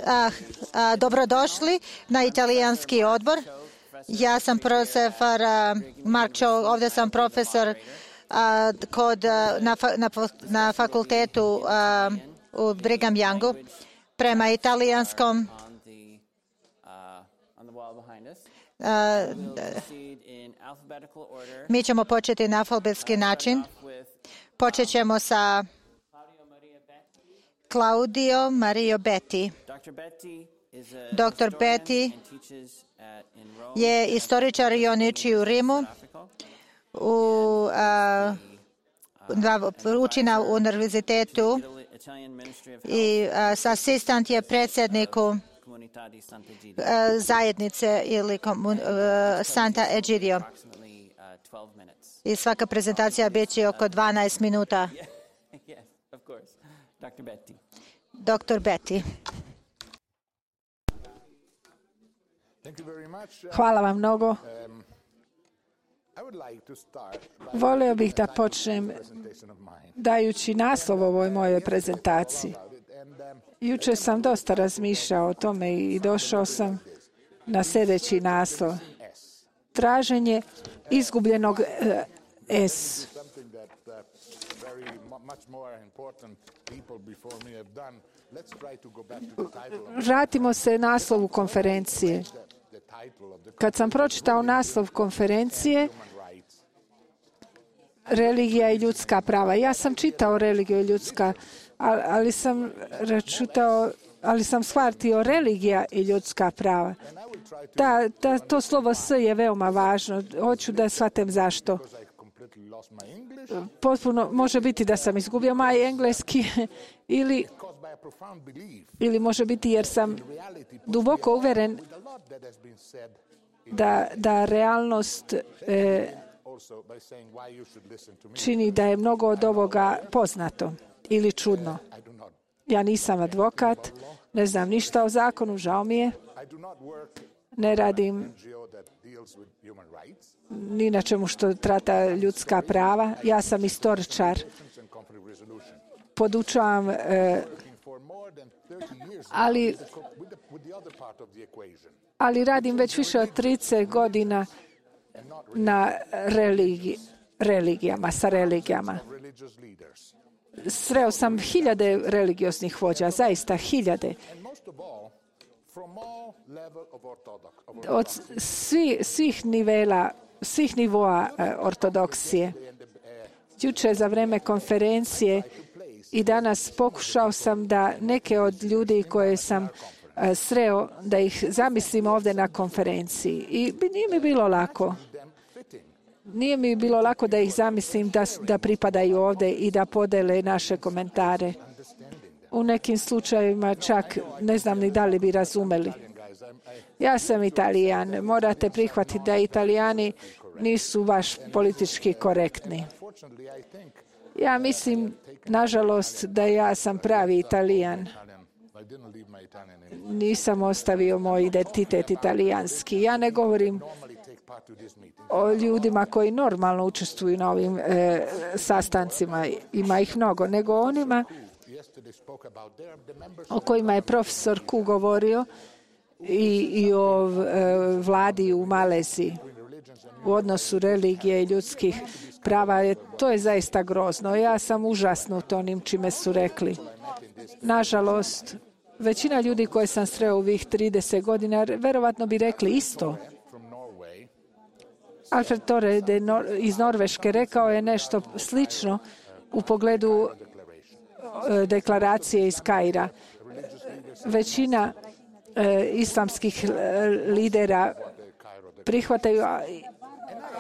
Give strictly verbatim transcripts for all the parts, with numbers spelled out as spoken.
A, a, dobrodošli na italijanski odbor. Ja sam profesor Mark Cho, ovdje sam profesor a, kod, na, na, na fakultetu a, u Brigham Youngu. Prema italijanskom a, mi ćemo početi na alfabetski način. Počet ćemo sa Claudio Mario Betti. doktor Betti je istoričar i on uči u Rimu. U, a, uči na univerzitetu i a, asistent je predsjedniku a, zajednice ili komun, a, Santa Egidio. I svaka prezentacija bit će oko dvanaest minuta. doktor Betti. Hvala vam mnogo. Volio bih da počnem dajući naslov ovoj mojoj prezentaciji. Jučer sam dosta razmišljao o tome i došao sam na sljedeći naslov. Traženje izgubljenog S. Vratimo se naslovu konferencije. Kad sam pročitao naslov konferencije, religija i ljudska prava. Ja sam čitao religiju i ljudska, ali sam čitao, ali sam shvatio religija i ljudska prava. Da, da, to slovo S je veoma važno. Hoću da shvatim zašto. Potpuno može biti da sam izgubio maj engleski ili, ili može biti jer sam duboko uveren da, da realnost e, čini da je mnogo od ovoga poznato ili čudno. Ja nisam advokat, ne znam ništa o zakonu, žao mi je. Ne radim ni na čemu što trata ljudska prava. Ja sam istoričar. Podučavam, e, ali, ali radim već više od trideset godina na religi, religijama, sa religijama. Sreo sam hiljade religioznih vođa, zaista hiljade. Od svi, svih nivela, svih nivoa e, ortodoksije. Jučer za vreme konferencije i danas pokušao sam da neke od ljudi koje sam e, sreo, da ih zamislim ovdje na konferenciji. I nije mi bilo lako. Nije mi bilo lako da ih zamislim da, da pripadaju ovdje i da podele naše komentare. U nekim slučajevima čak ne znam ni da li bi razumeli. Ja sam Italijan. Morate prihvatiti da Italijani nisu baš politički korektni. Ja mislim, nažalost, da ja sam pravi Italijan. Nisam ostavio moj identitet italijanski. Ja ne govorim o ljudima koji normalno učestvuju na ovim e, sastancima, ima ih mnogo, nego onima o kojima je profesor Ku govorio i, i o e, vladi u Maleziji u odnosu religije i ljudskih prava. Je, to je zaista grozno. Ja sam užasnut onim čime su rekli. Nažalost, većina ljudi koje sam sreo u ovih trideset godina verovatno bi rekli isto. Alfred Tore iz Norveške rekao je nešto slično u pogledu deklaracije iz Kaira. Većina e, islamskih lidera prihvataju,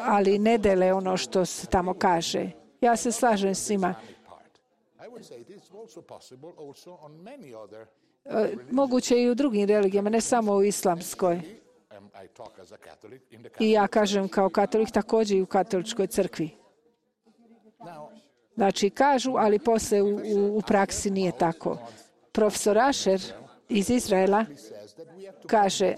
ali ne dele ono što se tamo kaže. Ja se slažem s njima. E, moguće i u drugim religijama, ne samo u islamskoj. I ja kažem kao katolik također i u katoličkoj crkvi. Znači kažu, ali poslije u, u, u praksi nije tako. Profesor Asher iz Izraela kaže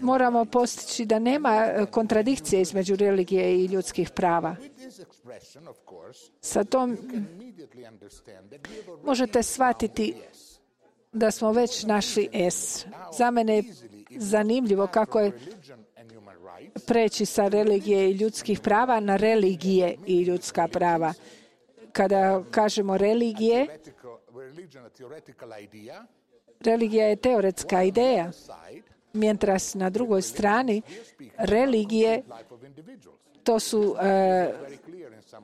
Moramo postići da nema kontradikcije između religije i ljudskih prava. Sa tom možete shvatiti da smo već našli S. Za mene je zanimljivo kako je preći sa religije i ljudskih prava na religije i ljudska prava. Kada kažemo religije, religija je teoretska ideja, mientras na drugoj strani religije to su e,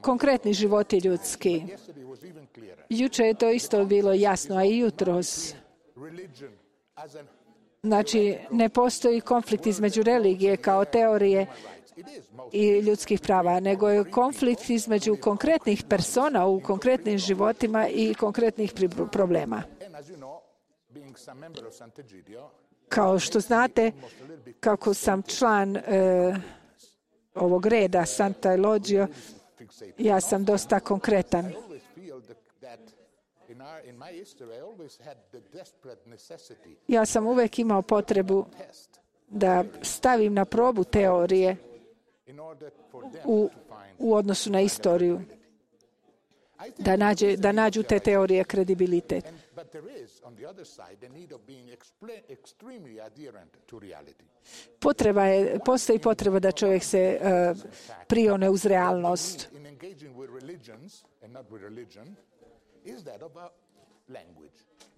konkretni životi ljudski. Juče je to isto bilo jasno, a i jutros. Znači, ne postoji konflikt između religije kao teorije i ljudskih prava, nego je konflikt između konkretnih persona u konkretnim životima i konkretnih problema. Kao što znate, kako sam član e, ovog reda Sant'Elogio, ja sam dosta konkretan. Ja sam uvijek imao potrebu da stavim na probu teorije u, u odnosu na istoriju, da, nađe, da nađu te teorije kredibilitet. Potreba je, postoji potreba da čovjek se uh, prione uz realnost.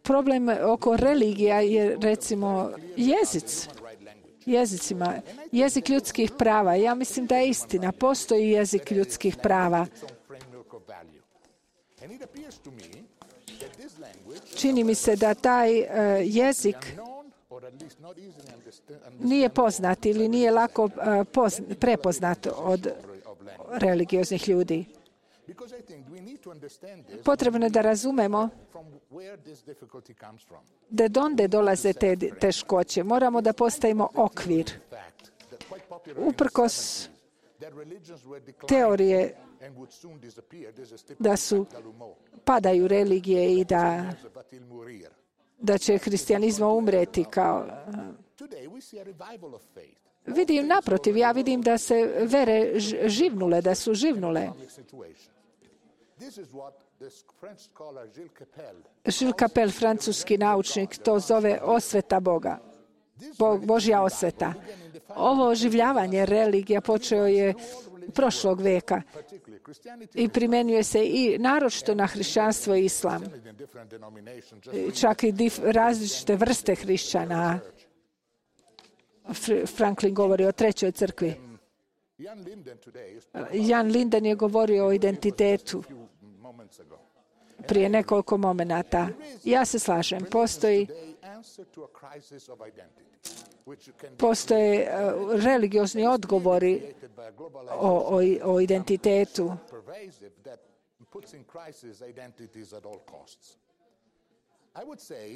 Problem oko religija je, recimo, jezic. Jezicima. Jezik ljudskih prava. Ja mislim da je istina. Postoji jezik ljudskih prava. Čini mi se da taj uh, jezik nije poznat ili nije lako uh, pozna, prepoznat od religioznih ljudi. Potrebno je da razumemo da donde dolaze te teškoće. Moramo da postavimo okvir. Uprkos teorije da su padaju religije i da, da će hristijanizam umreti kao... Vidim, naprotiv, ja vidim da se vere živnule, da su živnule. Gilles Capel, francuski naučnik, to zove osveta Boga. Bog, Božja osveta. Ovo oživljavanje religija počeo je prošlog veka i primjenjuje se i naročito na hrišćanstvo i islam. Čak i dif, različite vrste hrišćana. Franklin govori o trećoj crkvi. Jan Linden je govorio o identitetu prije nekoliko momenata. Ja se slažem. Postoji Postoje uh, religiozni odgovori o, o, o identitetu.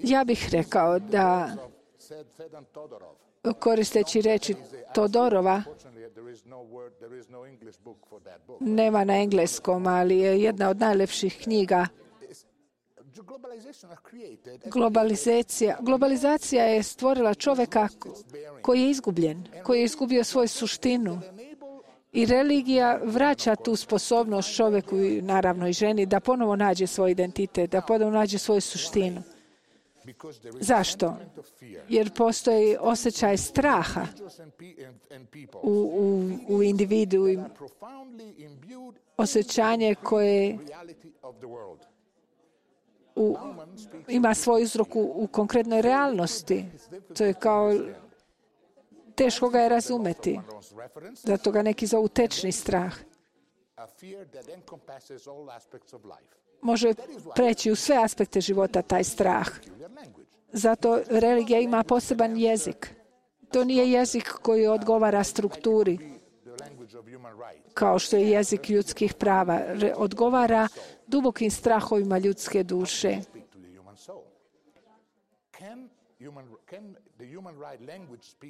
Ja bih rekao da, koristeći reči Todorova, nema na engleskom, ali je jedna od najlepših knjiga. Globalizacija, globalizacija je stvorila čovjeka koji je izgubljen, koji je izgubio svoju suštinu. I religija vraća tu sposobnost čovjeku, naravno i ženi, da ponovo nađe svoj identitet, da ponovo nađe svoju suštinu. Zašto? Jer postoji osjećaj straha u, u, u individu, osjećanje koje u, ima svoj uzrok u, u konkretnoj realnosti. To je kao, teško ga je razumeti. Zato ga neki zovu tečni strah. Može preći u sve aspekte života taj strah. Zato religija ima poseban jezik. To nije jezik koji odgovara strukturi, kao što je jezik ljudskih prava. Odgovara dubokim strahovima ljudske duše.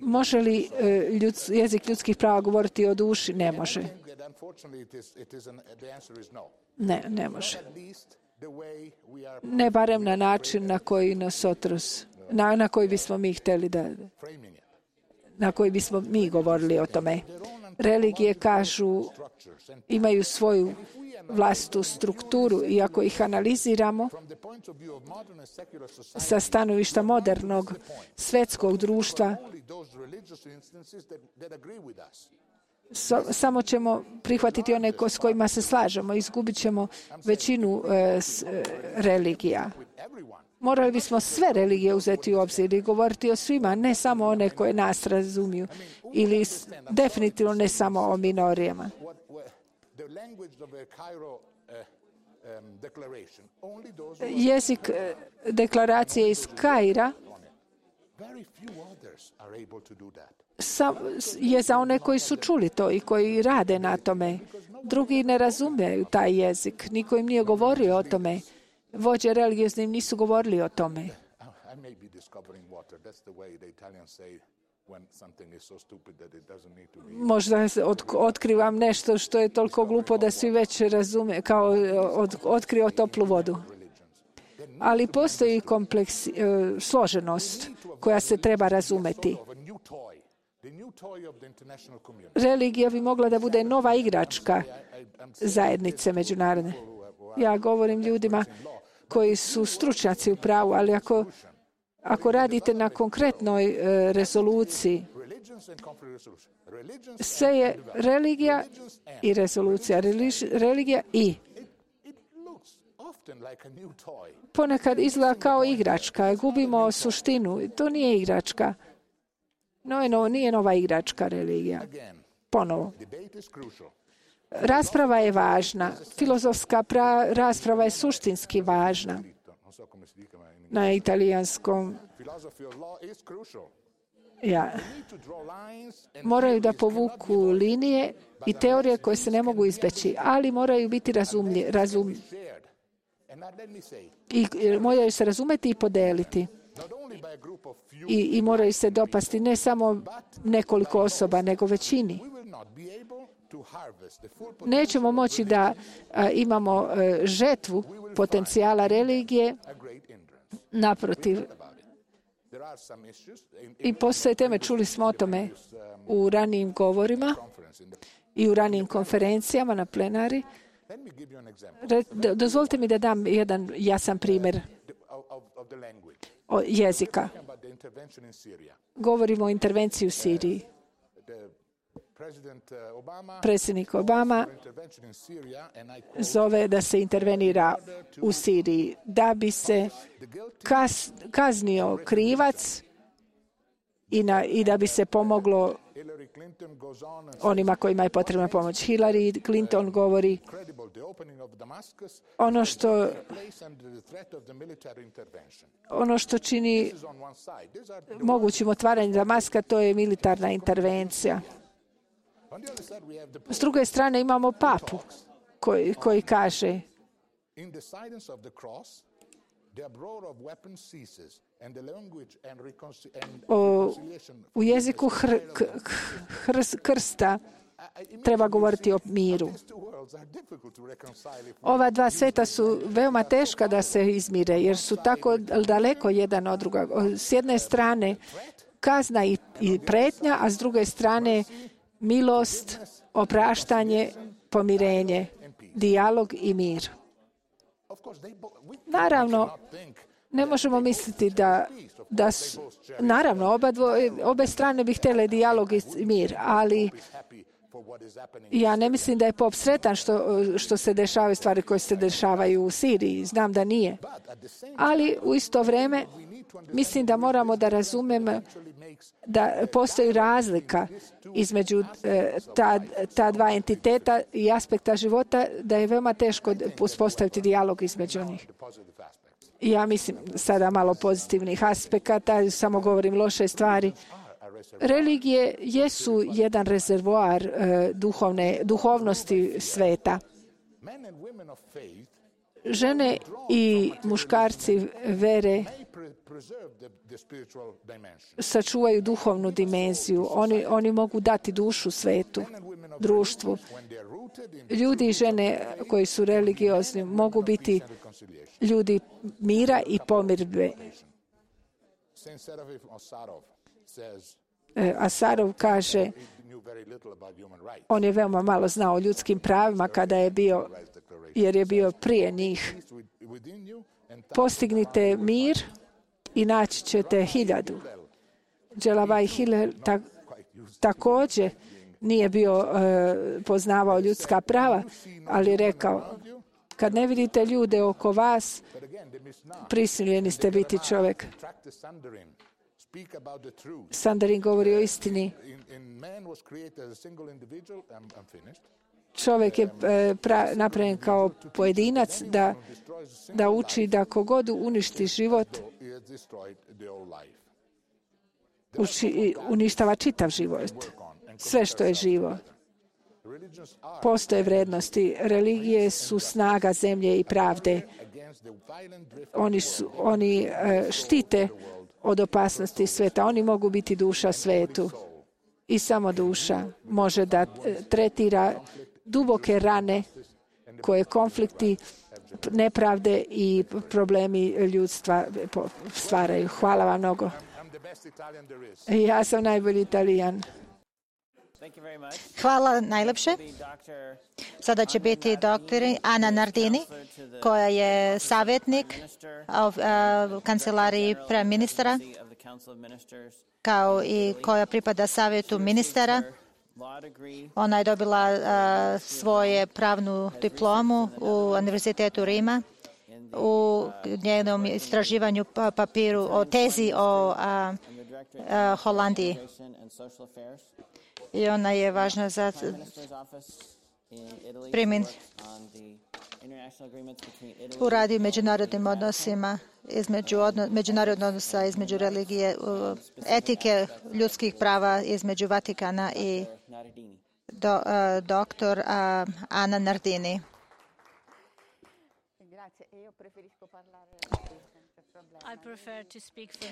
Može li ljud, jezik ljudskih prava govoriti o duši? Ne može. Ne, ne može. Ne barem na način na koji nosotros, na, na koji bismo mi htjeli da, na koji bismo mi govorili o tome. Religije kažu, imaju svoju vlastitu strukturu i ako ih analiziramo sa stanovišta modernog svetskog društva, so, samo ćemo prihvatiti one ko, s kojima se slažemo, izgubit ćemo većinu e, s, e, religija. Morali bismo sve religije uzeti u obzir i govoriti o svima, ne samo one koje nas razumiju, ili definitivno ne samo o minorijama. Jezik deklaracije iz Kaira je za one koji su čuli to i koji rade na tome. Drugi ne razumiju taj jezik. Niko im nije govorio o tome. Vođe religiozni nisu govorili o tome. Možda otkrivam nešto što je toliko glupo da svi već razume, kao od, otkrio toplu vodu. Ali postoji kompleks, složenost koja se treba razumeti. Religija bi mogla da bude nova igračka zajednice međunarodne. Ja govorim ljudima koji su stručnjaci u pravu, ali ako, ako radite na konkretnoj e, rezoluciji, sve je religija i rezolucija, Religi, religija i. Ponekad izgleda kao igračka, gubimo suštinu. To nije igračka. No, no, nije nova igračka religija. Ponovo. Rasprava je važna. Filozofska pra, rasprava je suštinski važna. Na italijanskom. Ja. Moraju da povuku linije i teorije koje se ne mogu izbeći, ali moraju biti razumlje, razum, i moraju se razumeti i podeliti. I, I moraju se dopasti ne samo nekoliko osoba, nego većini. Nećemo moći da a, imamo a, žetvu potencijala religije, naprotiv. I postoje teme, čuli smo o tome u ranijim govorima i u ranijim konferencijama na plenari. Re, dozvolite mi da dam jedan jasan primjer o jezika. Govorimo o intervenciji u Siriji. Predsjednik Obama zove da se intervenira u Siriji da bi se kaz, kaznio krivac i, na, i da bi se pomoglo onima kojima je potrebna pomoć. Hillary Clinton govori ono što ono što čini mogućim otvaranje Damaska, to je militarna intervencija. S druge strane imamo papu koji, koji kaže o, u jeziku hr, hr, krsta treba govoriti o miru. Ova dva sveta su veoma teška da se izmire, jer su tako daleko jedan od druga. S jedne strane kazna i, i pretnja, a s druge strane milost, opraštanje, pomirenje, dijalog i mir. Naravno, ne možemo misliti da, da su, naravno, oba dvoje, obe strane bi htjele dijalog i mir, ali ja ne mislim da je pop sretan što, što se dešavaju stvari koje se dešavaju u Siriji. Znam da nije. Ali u isto vrijeme mislim da moramo da razumemo da postoji razlika između e, ta, ta dva entiteta i aspekta života, da je veoma teško uspostaviti dijalog između njih. Ja mislim sada malo pozitivnih aspekata, samo govorim loše stvari. Religije jesu jedan rezervoar e, duhovne, duhovnosti sveta. Žene i muškarci vere sačuvaju duhovnu dimenziju. Oni, oni mogu dati dušu svetu, društvu. Ljudi i žene koji su religiozni mogu biti ljudi mira i pomirbe. Asarov kaže, on je veoma malo znao o ljudskim pravima kada je bio, jer je bio prije njih. Postignite mir i naći ćete hiljadu. Dželavaj Hillel ta, također nije bio uh, poznavao ljudska prava, ali je rekao, kad ne vidite ljude oko vas, prisiljeni ste biti čovjek. Sandarin govori o istini. Čovjek je pra, napravljen kao pojedinac da, da uči da kogod uništi život, uči, uništava čitav život. Sve što je živo. Postoje vrednosti. Religije su snaga zemlje i pravde. Oni, su, oni štite od opasnosti sveta. Oni mogu biti duša svetu. I samo duša može da tretira duboke rane koje konflikti, nepravde i problemi ljudstva stvaraju. Hvala vam mnogo. Ja sam najbolji Italijan. Hvala najlepše. Sada će biti doktor Ana Nardini, koja je savjetnik u kancelariji premijera, kao i koja pripada savjetu ministara. Ona je dobila uh, svoje pravnu diplomu u Univerzitetu Rima u njenom istraživanju papiru o tezi o uh, uh, Holandiji. I ona je važna za primjen u radi međunarodnim odnosima između odno, međunarodnog odnosa između religije, etike ljudskih prava između Vatikana i do, uh, doktor uh, Ana Nardini.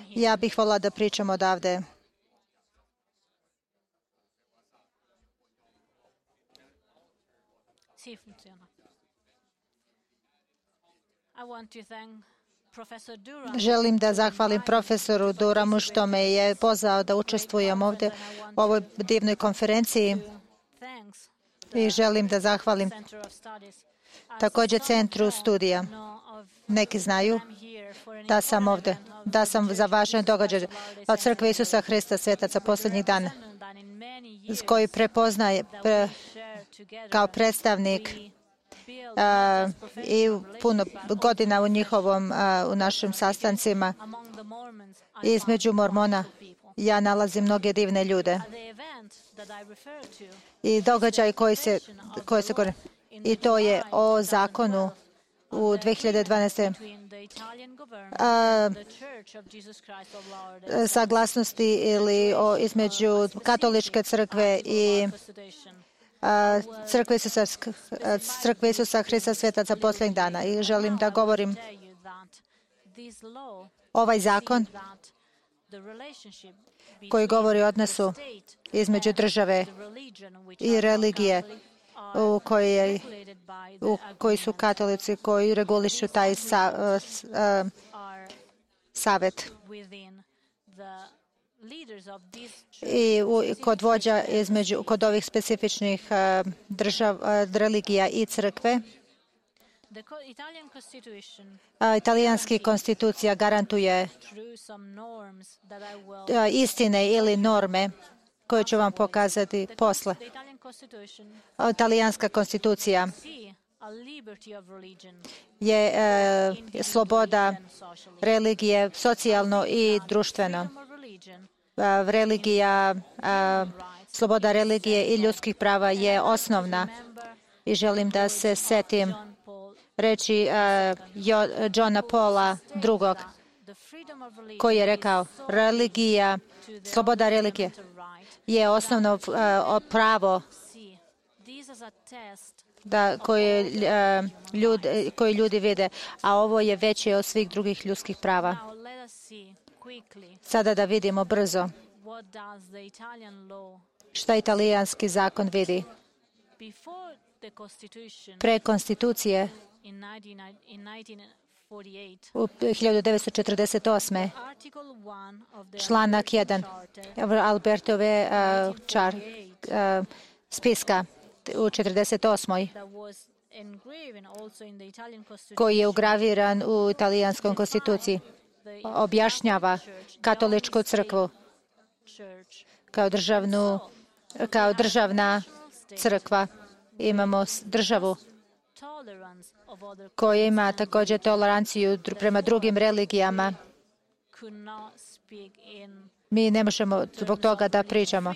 Ja bih volila da pričam odavde. Želim da zahvalim profesoru Duramu što me je pozvao da učestvujem ovdje u ovoj divnoj konferenciji i želim da zahvalim također Centru studija. Neki znaju da sam ovdje, da sam za važan događaj od Crkve Isusa Hrista svetaca posljednjih dana, koji prepoznaje pre, kao predstavnik Uh, i puno godina u njihovom, uh, u našim sastancima između Mormona. Ja nalazim mnoge divne ljude. I događaj koji se, koji se govori. I to je o zakonu u dvije hiljade dvanaeste. Uh, saglasnosti ili o, između katoličke crkve i Crkve Isusa, Crkve Isusa Hrista svetaca posljednjih dana. I želim da govorim ovaj zakon koji govori o odnosu između države i religije u kojoj, u koji su katolici koji regulišu taj sa, uh, savjet. I u, kod vođa između, kod ovih specifičnih uh, držav, uh, religija i crkve, uh, italijanski konstitucija garantuje uh, istine ili norme koje ću vam pokazati posle. Uh, italijanska konstitucija je uh, sloboda religije socijalno i društveno. Religija, sloboda religije i ljudskih prava je osnovna i želim da se setim reči Johna Paula drugog koji je rekao religija, sloboda religije je osnovno pravo da koje, ljudi, koje ljudi vide, a ovo je veće od svih drugih ljudskih prava. Sada da vidimo brzo šta italijanski zakon vidi. Pre konstitucije u hiljadu devetsto četrdeset osme. Članak jedan Albertove uh, čar, uh, spiska u četrdeset osmoj koji je ugraviran u italijanskoj konstituciji, objašnjava katoličku crkvu kao državnu, kao državna crkva. Imamo državu koja ima također toleranciju prema drugim religijama. Mi ne možemo zbog toga da pričamo,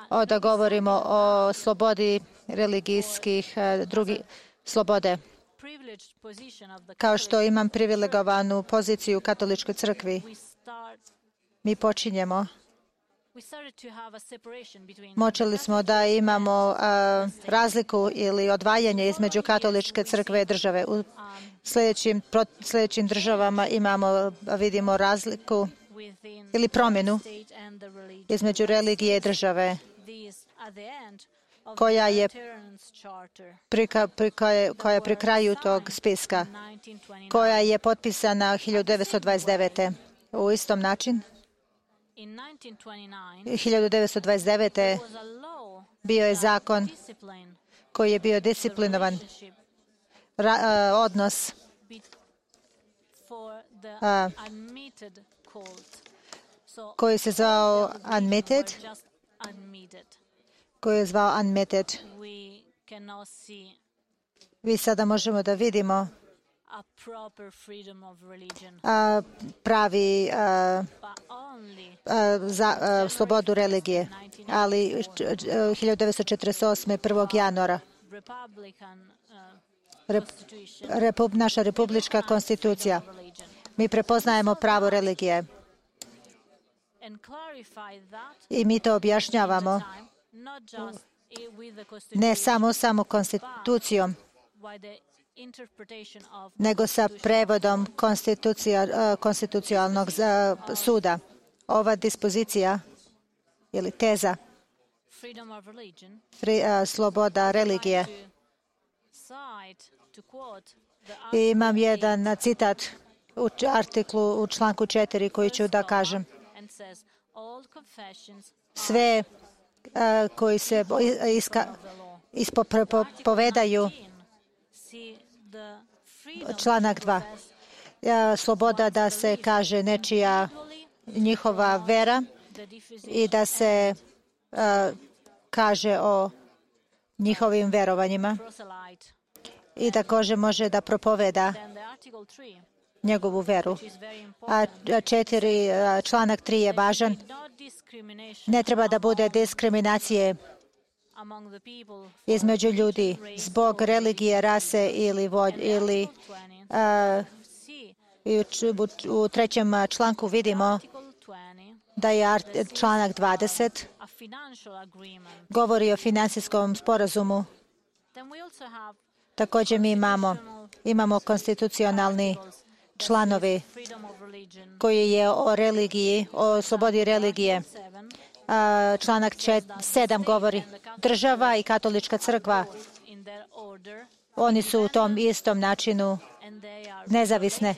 o, da govorimo o slobodi religijskih drugih slobode. Kao što imam privilegovanu poziciju u katoličkoj crkvi, mi počinjemo. Počeli smo da imamo a, razliku ili odvajanje između katoličke crkve i države. U sljedećim, pro, sljedećim državama imamo, vidimo razliku ili promjenu između religije i države, koja je pri, pri, koja, koja je pri kraju tog spiska, koja je potpisana hiljadu devetsto dvadeset devete. U istom način, hiljadu devetsto dvadeset devete. bio je zakon koji je bio disciplinovan ra, uh, odnos uh, koji se zvao unadmitted, koji je zvao unadmitted. Vi sada možemo da vidimo a, pravi a, a, za a, slobodu religije, ali hiljadu devetsto četrdeset osme. prvog januara Rep, repu, naša republička konstitucija, mi prepoznajemo pravo religije i mi to objašnjavamo ne samo samo konstitucijom, nego sa prevodom konstitucionalnog suda. Ova dispozicija ili teza fri, a, sloboda religije. I imam jedan citat u artiklu u članku četiri koji ću da kažem. Sve a, koji se iska, ispovedaju, članak dva. Sloboda da se kaže nečija njihova vera i da se uh, kaže o njihovim verovanjima i također može da propoveda njegovu veru. A četiri, članak tri je važan. Ne treba da bude diskriminacije između ljudi zbog religije, rase ili volj, ili uh, u, u trećem članku vidimo da je članak dvadeset govori o finansijskom sporazumu. Također mi imamo, imamo konstitucionalni članovi koji je o religiji, o slobodi religije. A, članak sedam govori država i katolička crkva. Oni su u tom istom načinu nezavisne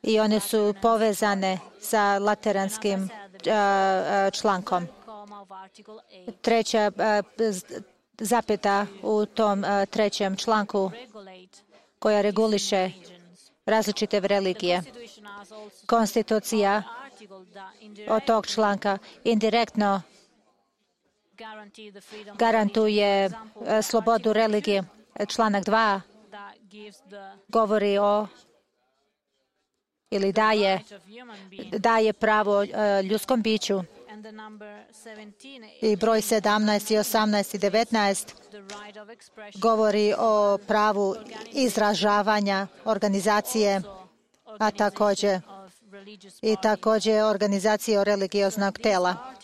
i one su povezane sa lateranskim a, člankom. Treća a, zapeta u tom a, trećem članku koja reguliše različite religije. Konstitucija od tog članka indirektno garantuje slobodu religije. Članak dva govori o ili daje, daje pravo ljudskom biću. I broj sedamnaest i osamnaest i devetnaest govori o pravu izražavanja organizacije, a također i također organizacije religioznog tela.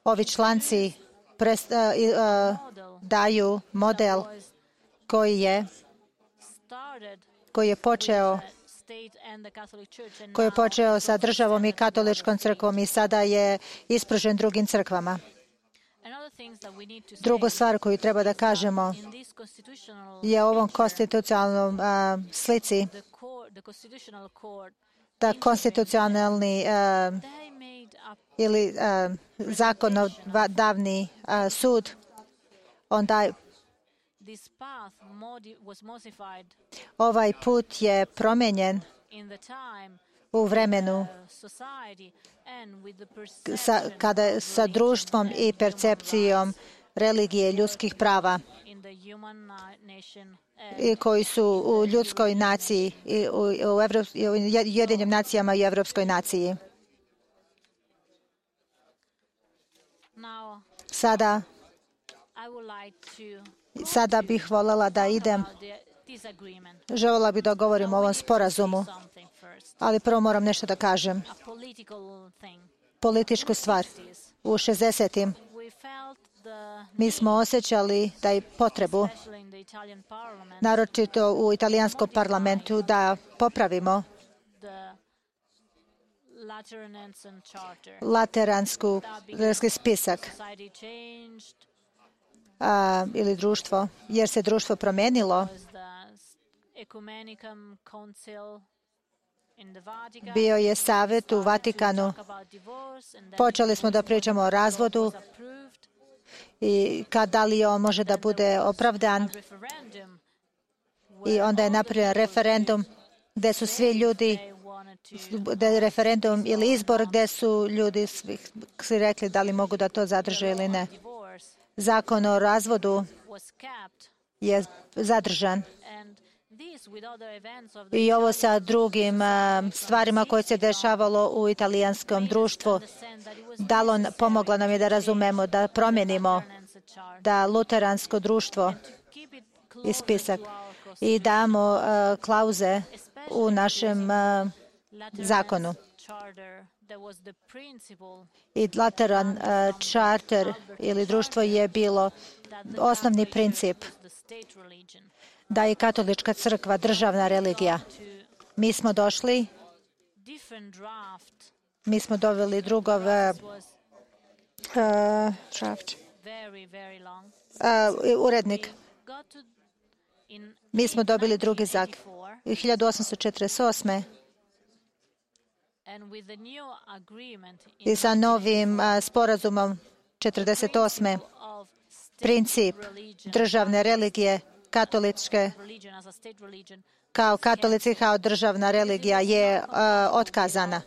Ovi članci prest, uh, uh, daju model koji je koji je počeo koji je počeo sa državom i katoličkom crkvom i sada je ispružen drugim crkvama. Drugu stvar koju treba da kažemo je u ovom konstitucionalnom uh, slici da konstitucionalni uh, ili uh, zakonodavni uh, sud, onda ovaj put je promijenjen u vremenu sa, kada, sa društvom i percepcijom religije ljudskih prava i koji su u ljudskoj naciji i u, u, Evrop, u Ujedinjenim nacijama i Evropskoj naciji. Sada, sada bih voljela da idem. Željela bih da govorim o ovom sporazumu, ali prvo moram nešto da kažem. Političku stvar. U šezdesetim mi smo osjećali da je potrebu, naročito u italijanskom parlamentu, da popravimo lateranski spisak a, ili društvo, jer se društvo promijenilo. Bio je savjet u Vatikanu. Počeli smo da pričamo o razvodu i kad da li on može da bude opravdan. I onda je napravljen referendum gdje su svi ljudi, gdje je referendum ili izbor gdje su ljudi svi rekli da li mogu da to zadrže ili ne. Zakon o razvodu je zadržan. I ovo sa drugim uh, stvarima koje se dešavalo u italijanskom društvu dalo, pomoglo nam je da razumemo, da promijenimo da luteransko društvo i spisak i damo uh, klauze u našem uh, zakonu. I Lateran uh, charter ili društvo je bilo osnovni princip da je katolička crkva državna religija. Mi smo došli, mi smo doveli drugov uh, draft, uh, urednik. Mi smo dobili drugi zak. hiljadu osamsto četrdeset osme i sa novim uh, sporazumom četrdeset osme princip državne religije katoličke kao katolici kao državna religija je uh, otkazana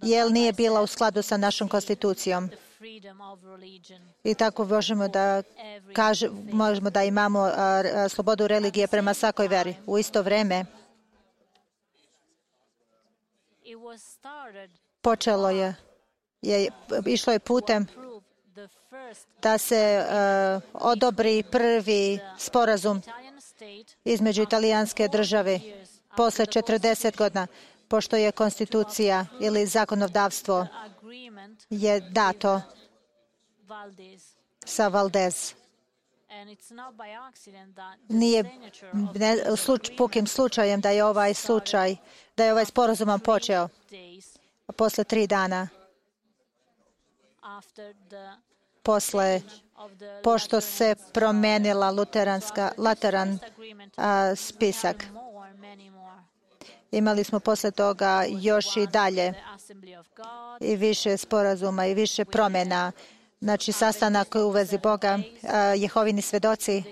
jer nije bila u skladu sa našom konstitucijom. I tako možemo da kaže, možemo da imamo uh, slobodu religije prema svakoj veri. U isto vrijeme počelo je, je išlo je putem da se uh, odobri prvi sporazum između italijanske države posle četrdeset godina, pošto je konstitucija ili zakonodavstvo je dato sa Valdez. Nije ne, sluč, pukim slučajem da je ovaj slučaj, da je ovaj sporazum počeo posle tri dana posle, pošto se promenila luteranska, Lateran a, spisak. Imali smo posle toga još i dalje i više sporazuma i više promjena. Znači, sastanak u vezi Boga, a, Jehovini svedoci,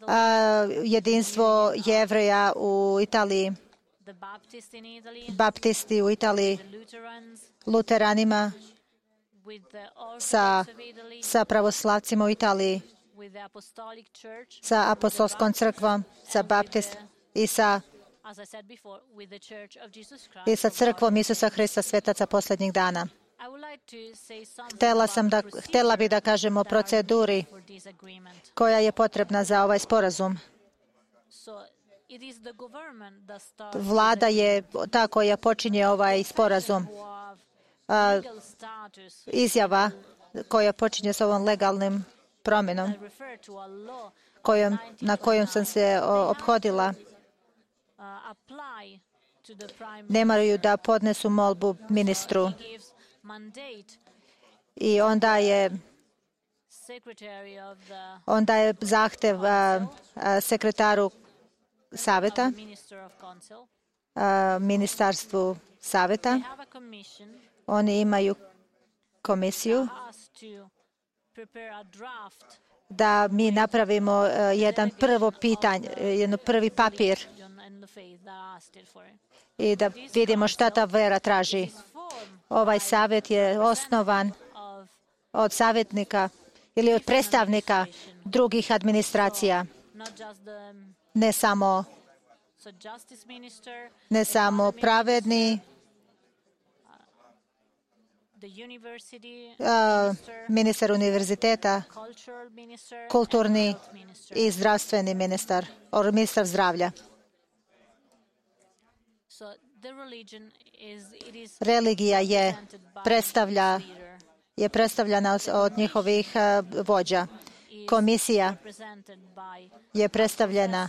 a, jedinstvo Jevreja u Italiji, baptisti u Italiji, luteranima, sa, sa pravoslavcima u Italiji, sa apostolskom crkvom, sa baptist i sa, i sa crkvom Isusa Hrista svetaca posljednjih dana. Htela, sam da, htela bi da kažem o proceduri koja je potrebna za ovaj sporazum. Vlada je ta koja počinje ovaj sporazum. A, izjava koja počinje s ovom legalnim promjenom kojom, na kojom sam se ophodila. Ne moraju da podnesu molbu ministru i onda je onda je zahtev a, a, sekretaru saveta, ministarstvu saveta. Oni imaju komisiju da mi napravimo jedan prvo pitanje, jedan prvi papir i da vidimo šta ta vera traži. Ovaj savjet je osnovan od savjetnika ili od predstavnika drugih administracija. Ne samo, ne samo pravedni, uh, ministar univerziteta, kulturni i zdravstveni ministar, or ministar zdravlja. Religija je predstavlja je predstavljena od njihovih uh, vođa. Komisija je predstavljena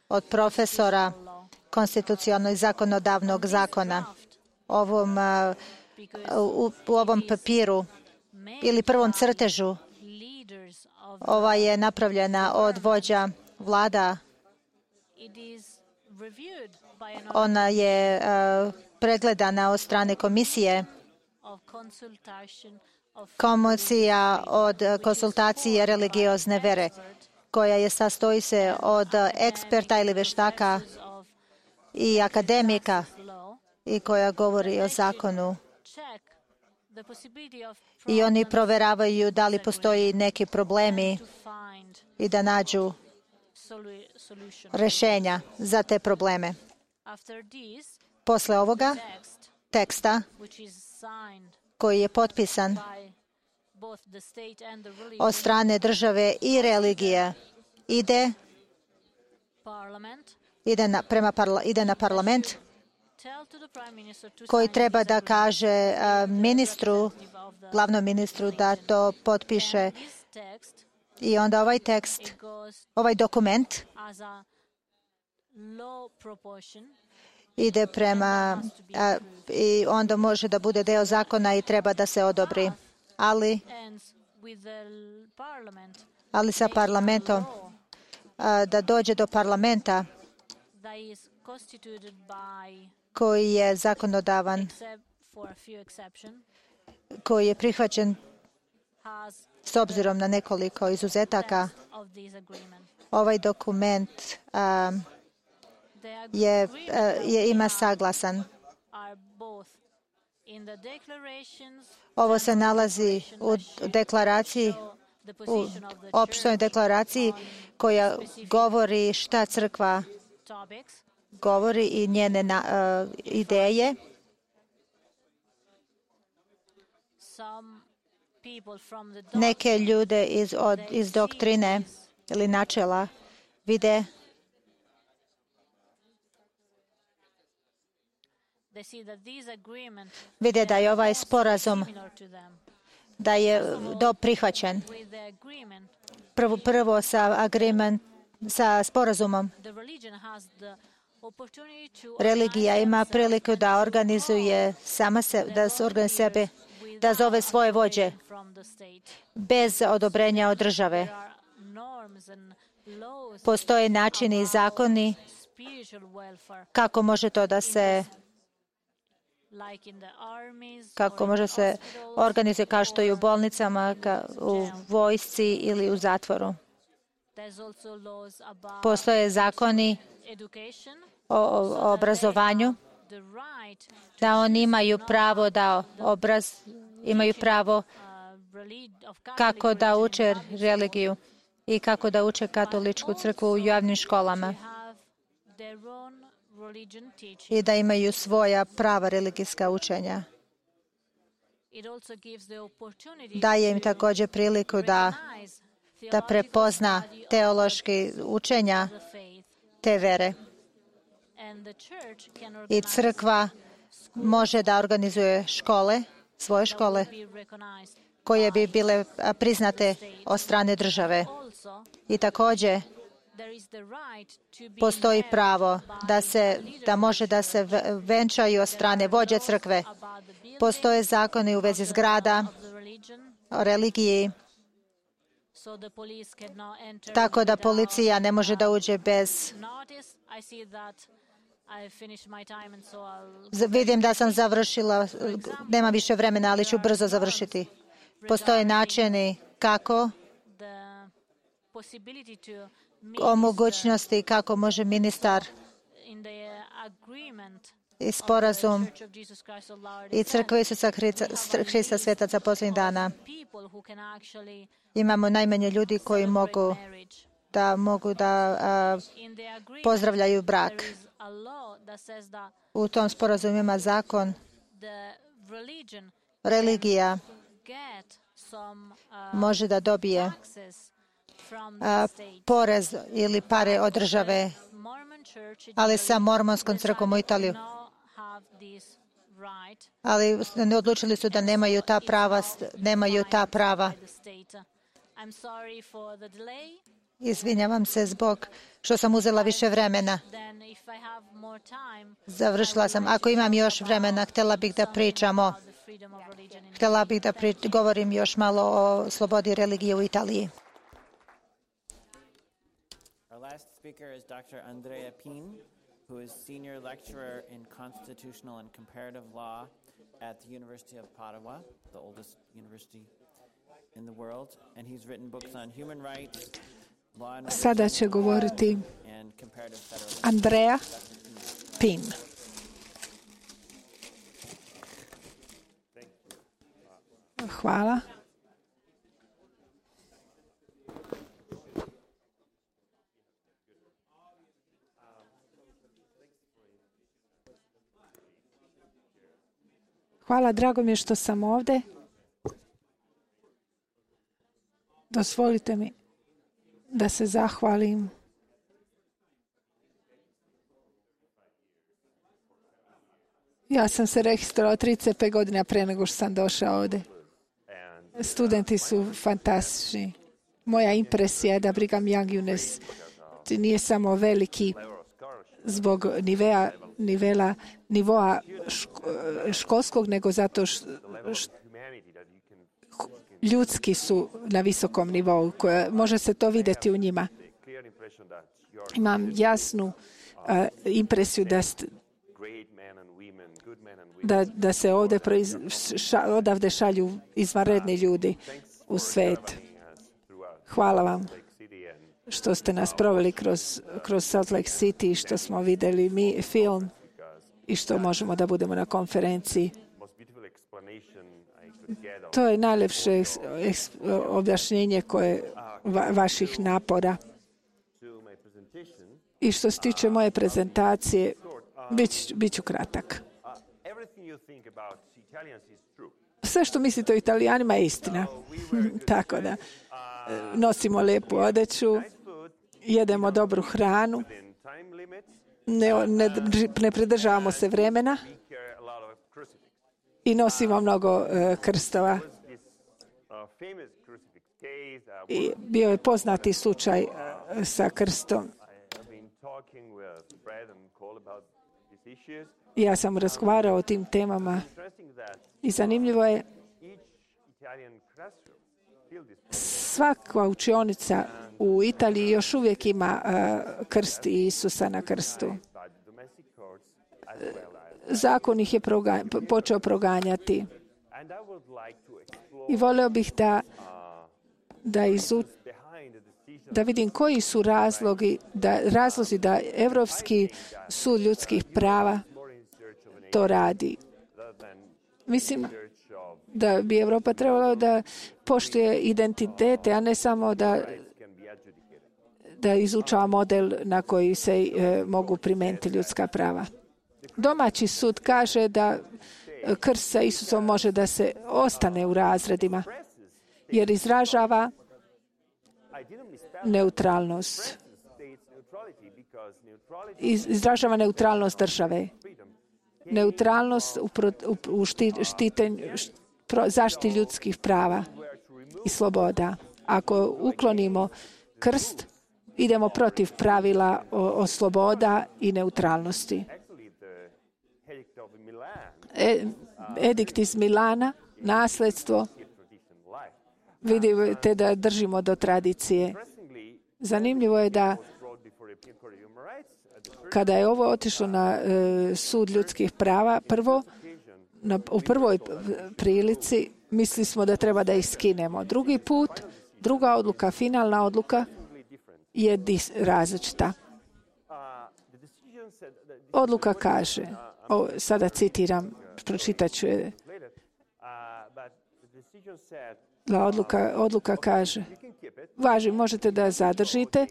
od profesora konstitucionalnog i zakonodavnog zakona. Ovom, uh, u, u ovom papiru ili prvom crtežu ova je napravljena od vođa vlada. Ona je uh, pregledana od strane komisije. Komisija od konsultacije religiozne vere, koja je sastoji se od eksperta ili veštaka i akademika i koja govori o zakonu. I oni provjeravaju da li postoji neki problemi i da nađu rješenja za te probleme. Posle ovoga teksta koji je potpisan od strane države i religije ide, ide, na, prema parla, ide na parlament koji treba da kaže uh, ministru, glavnom ministru da to potpiše. I onda ovaj tekst, ovaj dokument ide prema a, i onda može da bude deo zakona i treba da se odobri. Ali, ali sa parlamentom, a, da dođe do parlamenta koji je zakonodavan, koji je prihvaćen s obzirom na nekoliko izuzetaka. Ovaj dokument a, je, je ima saglasan. Ovo se nalazi u deklaraciji, u opštoj deklaraciji koja govori šta crkva govori i njene na, uh, ideje. Neke ljude iz, od, iz doktrine ili načela vide vide da je ovaj sporazum da je do prihvaćen. Prvo, prvo sa agreement, sa sporazumom. Religija ima priliku da organizuje sama se, da se organizuje sebe, da zove svoje vođe bez odobrenja od države. Postoje načini i zakoni kako može to da se kako može se organizuje kao što i u bolnicama, u vojsci ili u zatvoru. Postoje zakoni o, o obrazovanju, da oni imaju pravo da obraz, imaju pravo kako da uče religiju i kako da uče katoličku crkvu u javnim školama i da imaju svoja prava religijska učenja. Daje im također priliku da, da prepozna teološki učenja te vere. I crkva može da organizuje škole, svoje škole, koje bi bile priznate od strane države. I također postoji pravo da, se, da može da se venčaju od strane vođe crkve. Postoje zakoni u vezi zgrada, o religiji, tako da policija ne može da uđe bez Vidim da sam završila, nema više vremena, ali ću brzo završiti. Postoje načini kako o mogućnosti kako može ministar i sporazum i crkve Isusa Hrista svetaca posljednjih dana. Imamo najmanje ljudi koji mogu da mogu da a, pozdravljaju brak. U tom sporazumu ima zakon, religija može da dobije a, porez ili pare od države, ali sa mormonskom crkvom u Italiju. Ali odlučili su da nemaju ta prava, nemaju ta prava. Izvinjavam se zbog što sam uzela više vremena. Završila sam. Ako imam još vremena, htjela bih da pričamo. Htjela bih da prič, govorim još malo o slobodi religije u Italiji. Our last speaker is Doctor Andrea Pin, who is senior lecturer in constitutional and comparative law at the University of Padua, the oldest university in the world, and he's written books on human rights, law and Sada će govoriti and comparative federalism. Andrea Pin. Hvala. Hvala, drago mi je što sam ovdje. Dozvolite mi da se zahvalim ja sam se registrovao trideset pet godina prije nego što sam došao ovdje. Studenti su fantastični. Moja impresija je da Brigham Young University nije samo veliki zbog nivea, nivela, nivoa školskog, nego zato što ljudski su na visokom nivou. Koje, može se to vidjeti u njima. Imam jasnu uh, impresiju da, st, da, da se ovdje proiz, ša, odavde šalju izvanredni ljudi u svijet. Hvala vam što ste nas proveli kroz, kroz Salt Lake City, što smo vidjeli mi film i što možemo da budemo na konferenciji. To je najljepše objašnjenje koje va, vaših napora. I što se tiče moje prezentacije, bit, bit ću kratak. Sve što mislite o Italijanima je istina. Tako da, nosimo lijepu odeću, jedemo dobru hranu, ne, ne, ne pridržavamo se vremena i nosimo mnogo uh, krstova. I bio je poznati slučaj uh, sa krstom. Ja sam razgovarao o tim temama i zanimljivo je svaka učionica u Italiji još uvijek ima uh, krst Isusa na krstu. Zakon ih je proga, počeo proganjati. I voleo bih da, da, izu, da vidim koji su razlogi, da, razlozi da Evropski sud ljudskih prava to radi. Mislim da bi Evropa trebala da poštuje identitete, a ne samo da, da izučava model na koji se e, mogu primijeniti ljudska prava. Domaći sud kaže da krst sa Isusom može da se ostane u razredima, jer izražava neutralnost. Izražava neutralnost države. Neutralnost u, pro, u, u štitenju, pro, zaštiti ljudskih prava i sloboda. Ako uklonimo krst, idemo protiv pravila o, o sloboda i neutralnosti. E, edikt iz Milana, nasljedstvo, vidite da držimo do tradicije. Zanimljivo je da Kada je ovo otišlo na uh, sud ljudskih prava, prvo, na, u prvoj prilici mislili smo da treba da ih skinemo. Drugi put, druga odluka, finalna odluka je dis, različita. Odluka kaže, o, sada citiram, pročitat ću je. Odluka, odluka kaže, važi, možete da zadržite,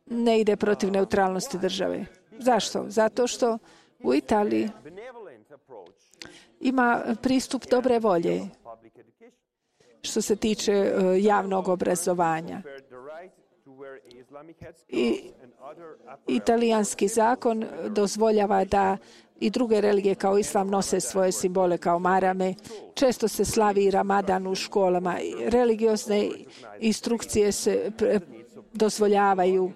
ne ide protiv neutralnosti države. Zašto? Zato što u Italiji ima pristup dobre volje što se tiče uh, javnog obrazovanja. I italijanski zakon dozvoljava da i druge religije kao islam nose svoje simbole kao marame. Često se slavi Ramadan u školama. Religiozne instrukcije se dozvoljavaju.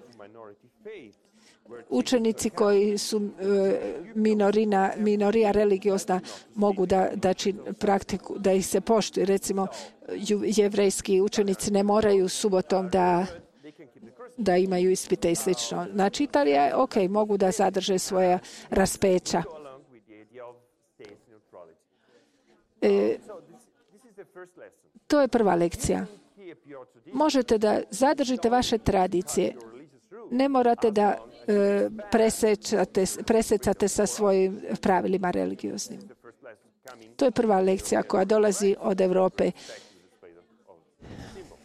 Učenici koji su minorina, minorija religiozna mogu da, da, čin, praktiku, da ih se poštuje. Recimo, jevrejski učenici ne moraju subotom da, da imaju ispite i slično. Znači, Italija je ok, mogu da zadrže svoja raspeća. E, to je prva lekcija. Možete da zadržite vaše tradicije. Ne morate da e, presečate, presecate sa svojim pravilima religioznim. To je prva lekcija koja dolazi od Evrope.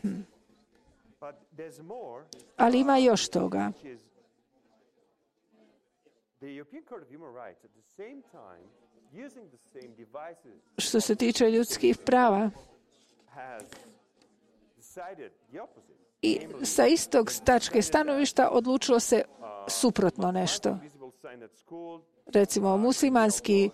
Hmm. Ali ima još toga. Što se tiče ljudskih prava, i sa istog tačke stanovišta odlučilo se suprotno nešto. Recimo, muslimanski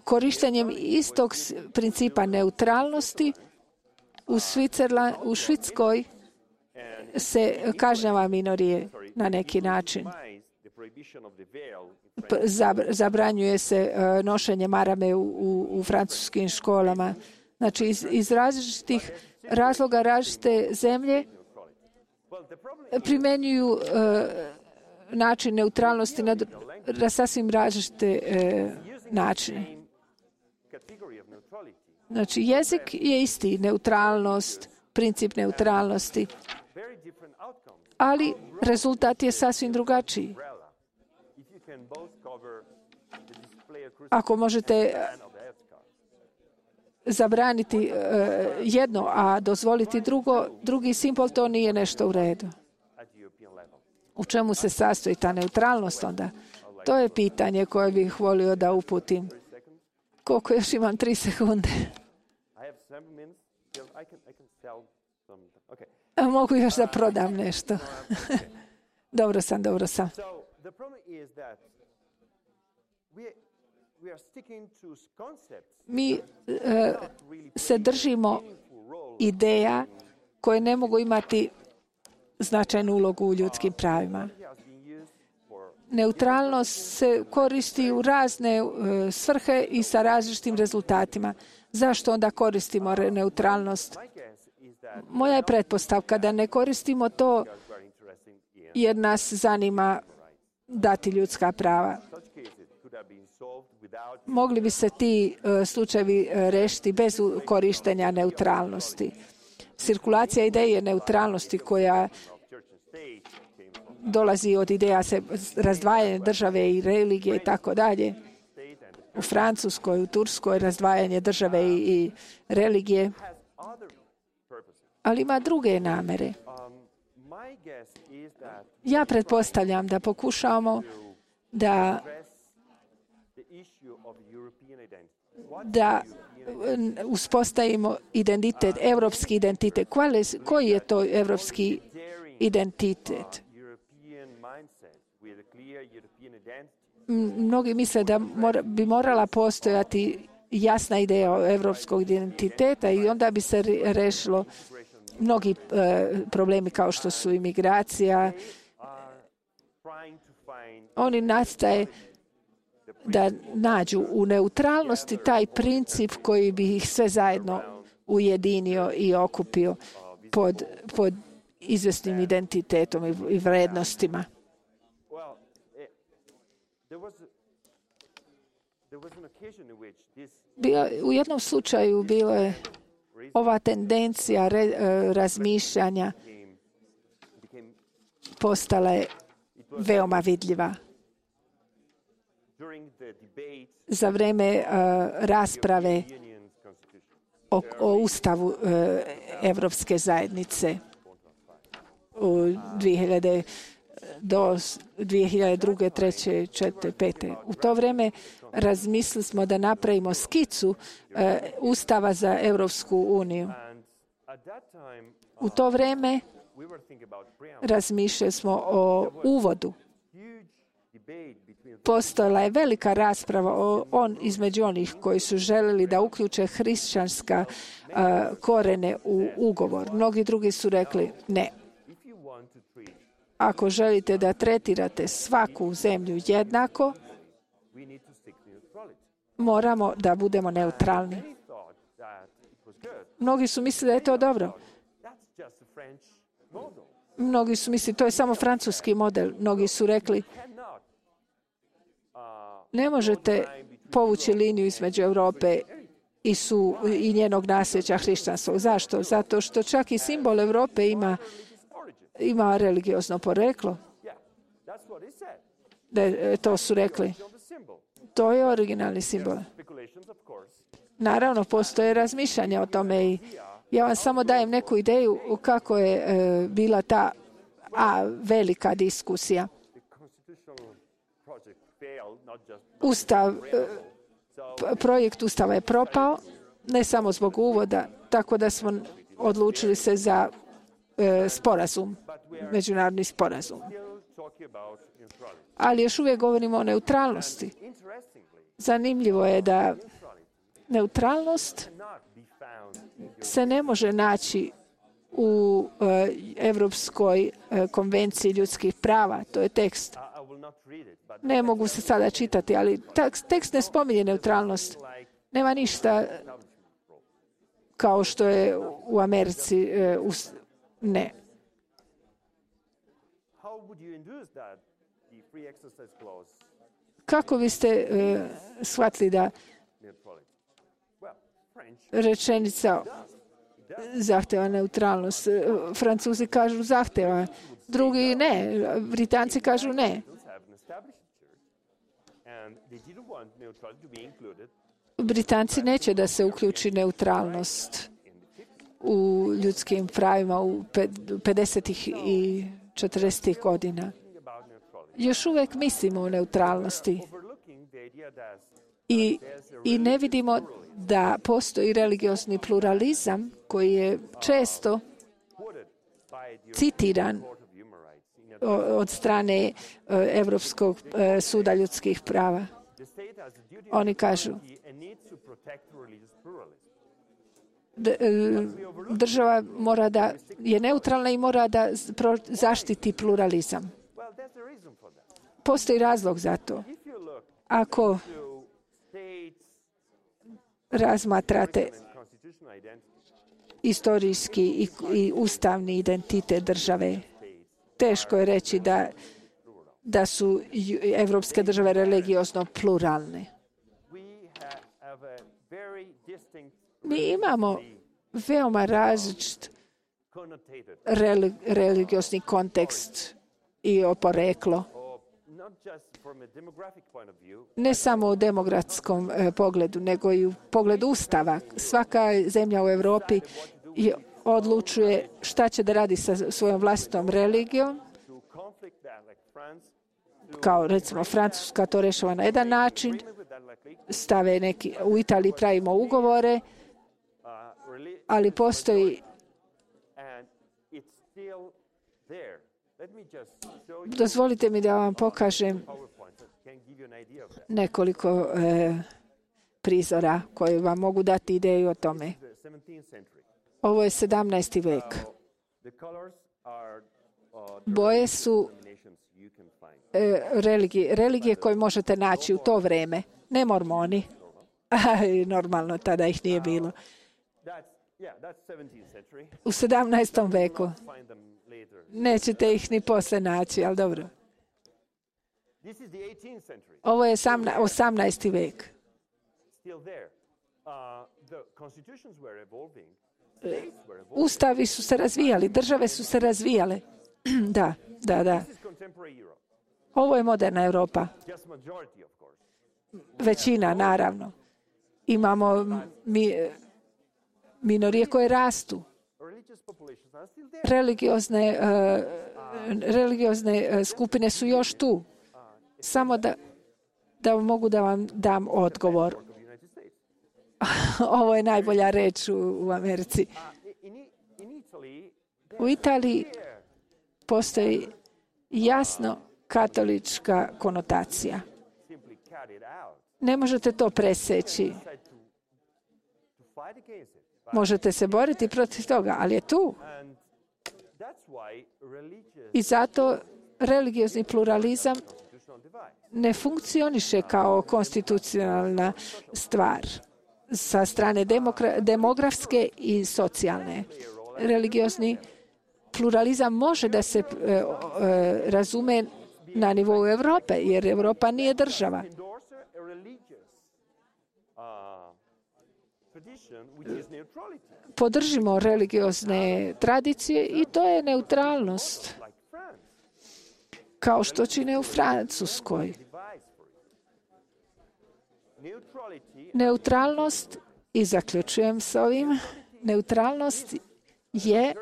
korištenjem istog principa neutralnosti u, Švicerla, u Švedskoj se kažnjava minorije na neki način. Zabranjuje se nošenje marame u, u, u francuskim školama. Znači, iz, iz različitih razloga različite zemlje primenjuju uh, način neutralnosti na, na sasvim različite uh, načine. Znači, jezik je isti, neutralnost, princip neutralnosti, ali rezultat je sasvim drugačiji. Ako možete zabraniti uh, jedno, a dozvoliti drugo, drugi simbol, to nije nešto u redu. U čemu se sastoji ta neutralnost onda? To je pitanje koje bih volio da uputim. Koliko još imam? Tri sekunde. A mogu još da prodam nešto. Dobro sam, dobro sam. Mi uh, se držimo ideja koje ne mogu imati značajnu ulogu u ljudskim pravima. Neutralnost se koristi u razne uh, svrhe i sa različitim rezultatima. Zašto onda koristimo neutralnost? Moja je pretpostavka da ne koristimo to jer nas zanima dati ljudska prava. Mogli bi se ti uh, slučajevi uh, rešiti bez korištenja neutralnosti. Cirkulacija ideje neutralnosti koja dolazi od ideja se razdvajanja države i religije i tako dalje. U Francuskoj, u Turskoj razdvajanje države i, i religije. Ali ima druge namere. Ja pretpostavljam da pokušamo da da uspostavimo identitet, evropski identitet. Koji je to evropski identitet? Mnogi misle da mora, bi morala postojati jasna ideja evropskog identiteta i onda bi se rešilo mnogi e, problemi kao što su imigracija. Oni nastaje da nađu u neutralnosti taj princip koji bi ih sve zajedno ujedinio i okupio pod, pod izvesnim identitetom i, i vrednostima. Bio, u jednom slučaju bilo je ova tendencija re, razmišljanja postala je veoma vidljiva. Za vreme uh, rasprave o, o ustavu uh, Evropske zajednice u dvije hiljade do dvije hiljade druge, treće, četvrte, pete. U to vreme razmislili smo da napravimo skicu uh, ustava za Evropsku uniju. U to vreme razmišljali smo o uvodu. Postojala je velika rasprava o, on, između onih koji su želeli da uključe hrišćanska uh, korene u ugovor. Mnogi drugi su rekli ne. Ako želite da tretirate svaku zemlju jednako, moramo da budemo neutralni. Mnogi su mislili da je to dobro. Mnogi su mislili to je samo francuski model. Mnogi su rekli ne možete povući liniju između Europe i, su, i njenog nasljeđa hrišćanstva. Zašto? Zato što čak i simbol Europe ima, ima religiozno poreklo. Da, to su rekli. To je originalni simbol. Naravno, postoje razmišljanja o tome i ja vam samo dajem neku ideju kako je e, bila ta a, velika diskusija. Ustav, projekt Ustava je propao, ne samo zbog uvoda, tako da smo odlučili se za e, sporazum, međunarodni sporazum. Ali još uvijek govorimo o neutralnosti. Zanimljivo je da neutralnost se ne može naći u e, Evropskoj e, konvenciji ljudskih prava. To je tekst. Ne mogu se sada čitati, ali tekst ne spominje neutralnost. Nema ništa kao što je u Americi. E, u, ne. Kako biste e, shvatili da rečenica zahteva neutralnost? Francuzi kažu zahteva, drugi ne, Britanci kažu ne. Britanci neće da se uključi neutralnost u ljudskim pravima u pedesetih i četrdesetih godina. Još uvijek mislimo o neutralnosti i, i ne vidimo da postoji religiozni pluralizam koji je često citiran od strane Evropskog suda ljudskih prava. Oni kažu država mora da je neutralna i mora da zaštiti pluralizam. Postoji razlog za to. Ako razmatrate istorijski i, i ustavni identitet države, teško je reći da, da su evropske države religiozno pluralne. Mi imamo veoma različit religiozni kontekst i poreklo. Ne samo u demografskom eh, pogledu, nego i u pogledu Ustava. Svaka zemlja u Europi je, odlučuje šta će da radi sa svojom vlastitom religijom. Kao recimo Francuska to rešava na jedan način. Stave neki, u Italiji pravimo ugovore, ali postoji dozvolite mi da vam pokažem nekoliko e, prizora koji vam mogu dati ideju o tome. Ovo je sedamnaesti vek. Boje su e, religije, religije koje možete naći u to vreme. Ne mormoni. Normalno, tada ih nije bilo. U sedamnaestom veku. Nećete ih ni posle naći, ali dobro. Ovo je osamnaesti vek. Ustavi su se razvijali, države su se razvijale. Da, da, da. Ovo je moderna Europa. Većina, naravno. Imamo mi, minorije koje rastu. Religiozne, uh, religiozne skupine su još tu. Samo da, da mogu da vam dam odgovor. Ovo je najbolja reč u, u Americi. U Italiji postoji jasno katolička konotacija. Ne možete to preseći. Možete se boriti protiv toga, ali je tu. I zato religiozni pluralizam ne funkcioniše kao konstitucionalna stvar sa strane demokra- demografske i socijalne. Religiozni pluralizam može da se e, e, razume na nivou Evrope, jer Evropa nije država. Podržimo religiozne tradicije i to je neutralnost. Kao što čine u Francuskoj. Neutralnost, i zaključujem s ovim, neutralnost je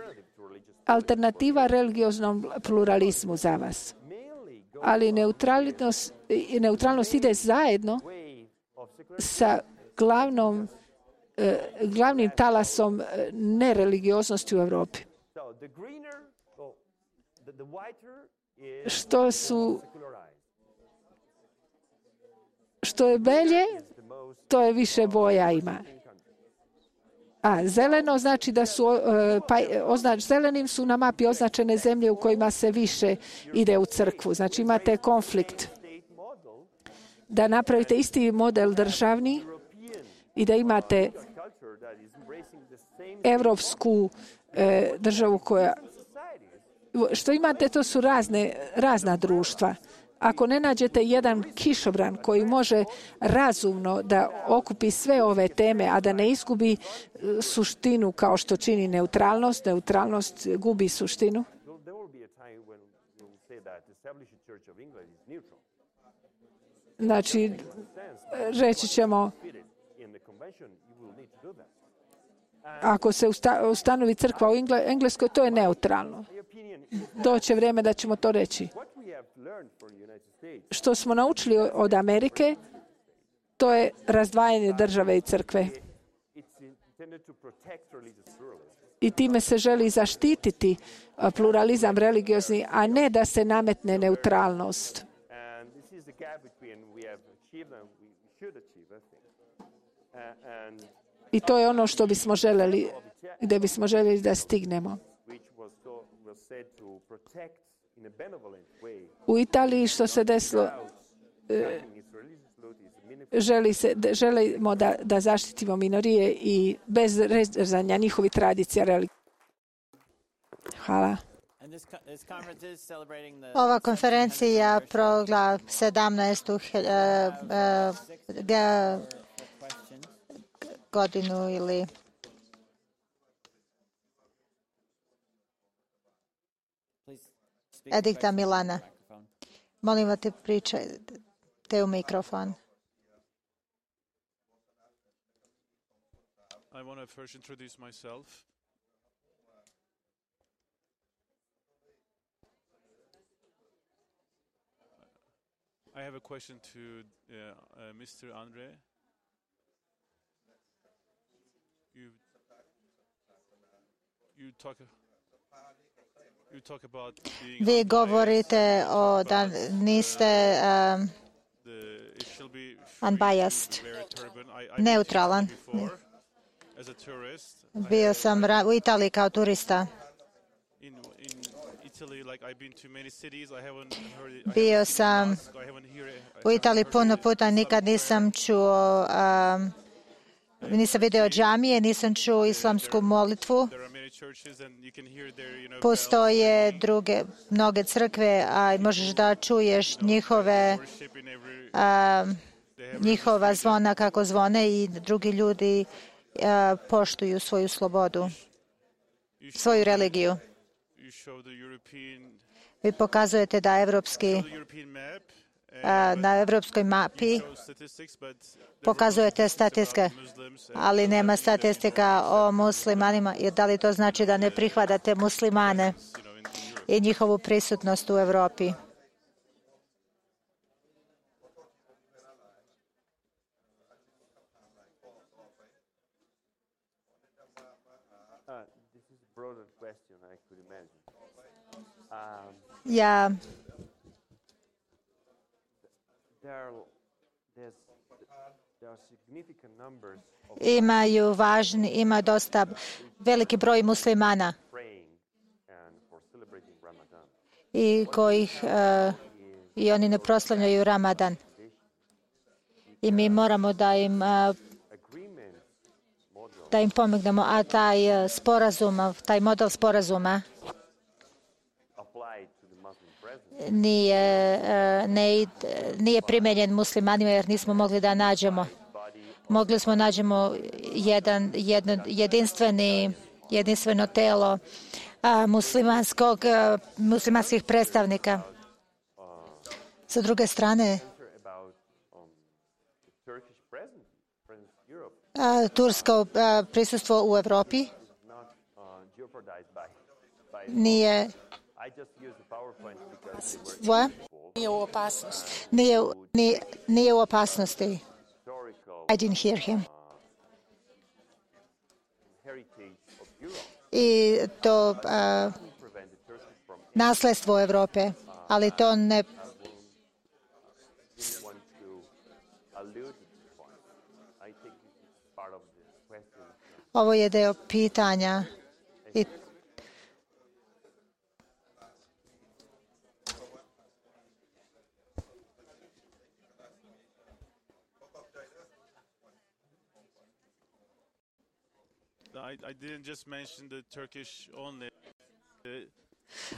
alternativa religioznom pluralizmu za vas. Ali neutralnost, neutralnost ide zajedno sa glavnom, glavnim talasom nereligioznosti u Evropi. Što su što je belje, to je više boja ima. A zeleno znači da su pa, označ, zelenim su na mapi označene zemlje u kojima se više ide u crkvu. Znači imate konflikt. Da napravite isti model državni i da imate evropsku e, državu koja... Što imate, to su razne, razna društva. Ako ne nađete jedan kišobran koji može razumno da okupi sve ove teme, a da ne izgubi suštinu kao što čini neutralnost, neutralnost gubi suštinu. Znači, reći ćemo, ako se ustanovi crkva u Engleskoj, to je neutralno. Doće vrijeme da ćemo to reći. Što smo naučili od Amerike, to je razdvajanje države i crkve. I time se želi zaštititi pluralizam religiozni, a ne da se nametne neutralnost. I to je ono što bismo željeli, gdje bismo željeli da stignemo. U Italiji što se desilo, želi se, želimo da, da zaštitimo minorije i bez rezanja njihovih tradicija religije. Hvala. Ova konferencija progla sedamnaestu uh, uh, godinu ili Edikta Milana. Molim vas te pričajte u mikrofon. I want to first introduce myself. I have a question to uh, uh, mister Andre. You, you talk. You talk about being Vi govorite o da niste um, unbiased, neutralan. Bio sam u Italiji kao turista. Bio sam u Italiji puno puta, nikad nisam čuo, um, nisam vidio džamije, nisam čuo islamsku molitvu. Postoje druge, mnoge crkve, a možeš da čuješ njihove, um, njihova zvona kako zvone i drugi ljudi uh, poštuju svoju slobodu, svoju religiju. Vi pokazujete da evropski, na evropskoj mapi pokazujete statistike, ali nema statistika o muslimanima. I da li to znači da ne prihvatate muslimane i njihovu prisutnost u Evropi? Ja imaju važni, ima dosta veliki broj muslimana i kojih uh, i oni ne proslavljaju Ramadan. I mi moramo da im uh, da im pomognemo, a taj uh, sporazum, taj model sporazuma nije, uh, ne, nije primenjen muslimanima jer nismo mogli da nađemo. Mogli smo nađemo jedan, jedno, jedinstveni, jedinstveno telo a, muslimanskog, a, muslimanskih predstavnika. Sa druge strane, a, tursko a, prisustvo u Evropi nije Nije u opasnosti. Nije, nije, nije u opasnosti. I didn't hear him. I to uh, nasledstvo Evrope, ali to ne... Ovo je deo pitanja i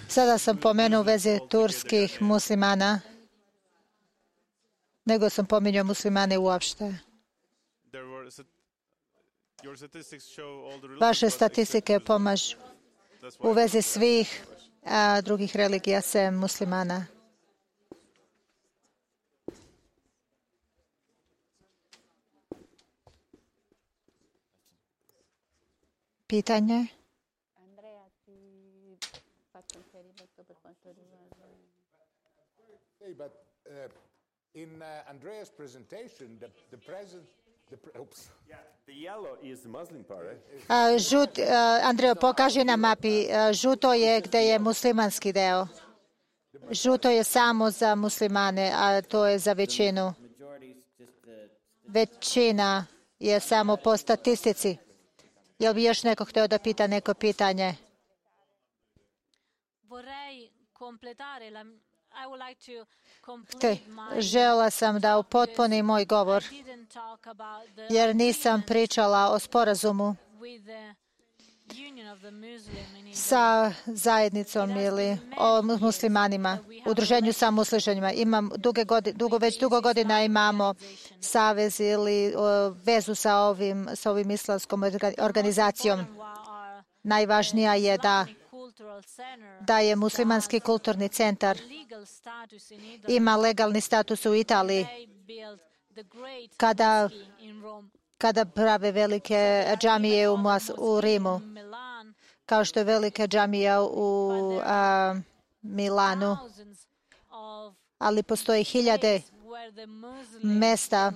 Sada sam pomenuo u vezi turskih muslimana, nego sam pominjao muslimane uopšte. Vaše statistike pomažu u vezi svih a, drugih religija sem muslimana. Pitanje? But uh, in uh, Andrea's presentation, the, the present, the pre- oops. Yeah, the yellow is the Muslim part, right? Uh, žut, uh, Andreo, pokaži na mapi. Uh, žuto je gde je muslimanski deo. Žuto je samo za muslimane, a to je za većinu. Većina je samo po statistici. Jel bi još neko hteo da pita neko pitanje? Te, žela sam da upotpunim moj govor, jer nisam pričala o sporazumu sa zajednicom ili o muslimanima, udruženju sa muslimanima. Imam duge godine, dugo, već dugo godina imamo savez ili o, vezu sa ovim, sa ovim islamskom organizacijom. Najvažnija je da da je muslimanski kulturni centar ima legalni status u Italiji kada, kada prave velike džamije u, u Rimu, kao što je velika džamija u a, Milanu. Ali postoji hiljade mesta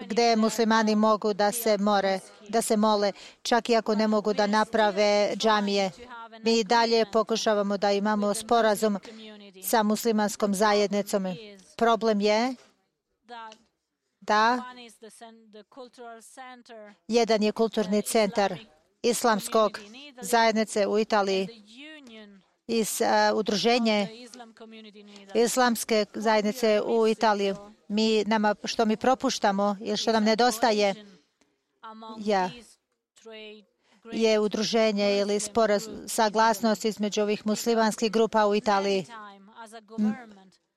gde muslimani mogu da se more, da se mole, čak i ako ne mogu da naprave džamije. Mi dalje pokušavamo da imamo sporazum sa muslimanskom zajednicom. Problem je da jedan je kulturni centar islamskog zajednice u Italiji iz uh, udruženje islamske zajednice u Italiji. Mi, nama, što mi propuštamo ili što nam nedostaje ja, je udruženje ili sporaz, saglasnost između ovih muslimanskih grupa u Italiji.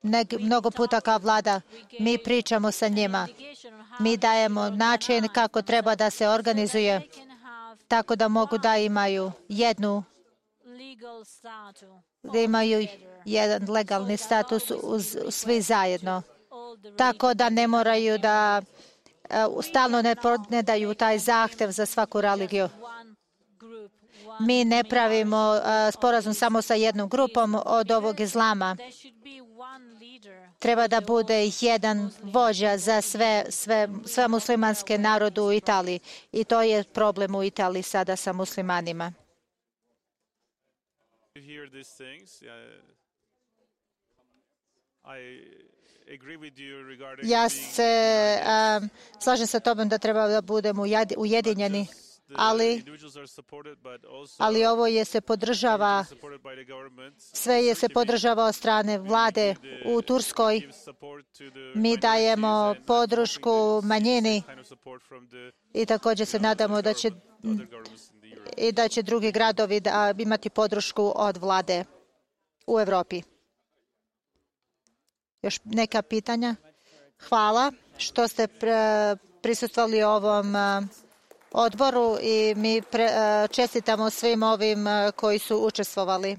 Ne, mnogo puta kao vlada mi pričamo sa njima. Mi dajemo način kako treba da se organizuje tako da mogu da imaju jednu da imaju jedan legalni status uz, svi zajedno. Tako da ne moraju da uh, stalno ne, ne daju taj zahtev za svaku religiju. Mi ne pravimo uh, sporazum samo sa jednom grupom od ovog islama. Treba da bude jedan vođa za sve, sve, sve muslimanske narode u Italiji. I to je problem u Italiji sada sa muslimanima. Ja se um, slažem sa tobom da treba da budemo ujedinjeni, ali, ali ovo je se podržava, sve je se podržava od strane vlade u Turskoj. Mi dajemo podršku manjini i također se nadamo da će i da će drugi gradovi da imati podršku od vlade u Evropi. Još neka pitanja? Hvala što ste prisustvovali ovom odboru i mi čestitamo svim ovim koji su učestvovali.